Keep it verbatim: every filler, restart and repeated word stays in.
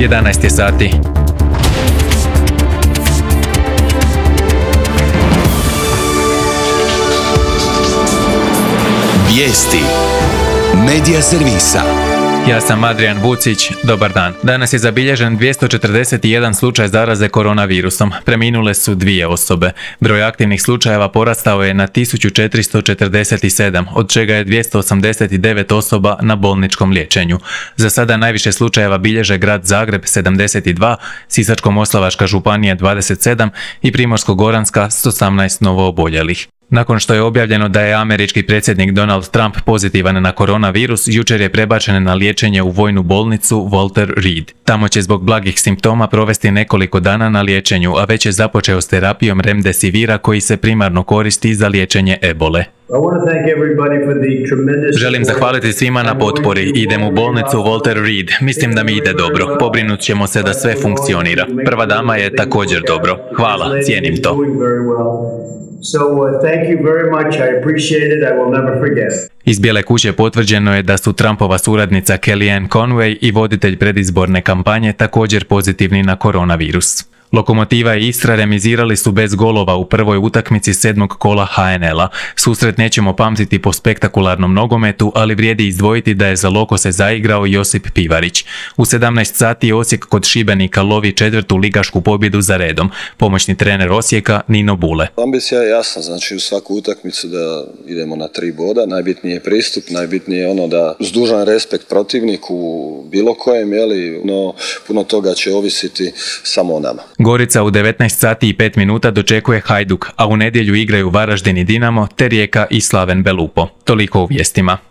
jedanaest je sati. Vijesti Medija servisa. Ja sam Adrian Vucić, dobar dan. Danas je zabilježen dvjesto četrdeset jedan slučaj zaraze koronavirusom. Preminule su dvije osobe. Broj aktivnih slučajeva porastao je na tisuću četiristo četrdeset sedam, od čega je dvjesto osamdeset devet osoba na bolničkom liječenju. Za sada najviše slučajeva bilježe grad Zagreb sedamdeset dva, Sisačko-moslavačka županija dvadeset sedam i Primorsko-goranska s osamnaest novooboljelih. Nakon što je objavljeno da je američki predsjednik Donald Trump pozitivan na koronavirus, jučer je prebačen na liječenje u vojnu bolnicu Walter Reed. Tamo će zbog blagih simptoma provesti nekoliko dana na liječenju, a već je započeo s terapijom Remdesivira koji se primarno koristi za liječenje ebole. Želim zahvaliti svima na potpori. Idem u bolnicu Walter Reed. Mislim da mi ide dobro. Pobrinut ćemo se da sve funkcionira. Prva dama je također dobro. Hvala, cijenim to. So uh, thank you very much. I appreciate it. I will never forget. Iz Bijele kuće potvrđeno je da su Trumpova suradnica Kellyanne Conway i voditelj predizborne kampanje također pozitivni na koronavirus. Lokomotiva i Istra remizirali su bez golova u prvoj utakmici sedmog kola ha en el a. Susret nećemo pamtiti po spektakularnom nogometu, ali vrijedi izdvojiti da je za Lokose zaigrao Josip Pivarić. U sedamnaest sati Osijek kod Šibenika lovi četvrtu ligašku pobjedu za redom. Pomoćni trener Osijeka Nino Bule. Ambicija je jasna, znači u svaku utakmicu da idemo na tri boda. Najbitniji je pristup, najbitnije je ono da uz dužan respekt protivniku bilo kojem, jeli, no puno toga će ovisiti samo o nama. Gorica u devetnaest sati i pet minuta dočekuje Hajduk, a u nedjelju igraju Varaždin i Dinamo te Rijeka i Slaven Belupo. Toliko u vijestima.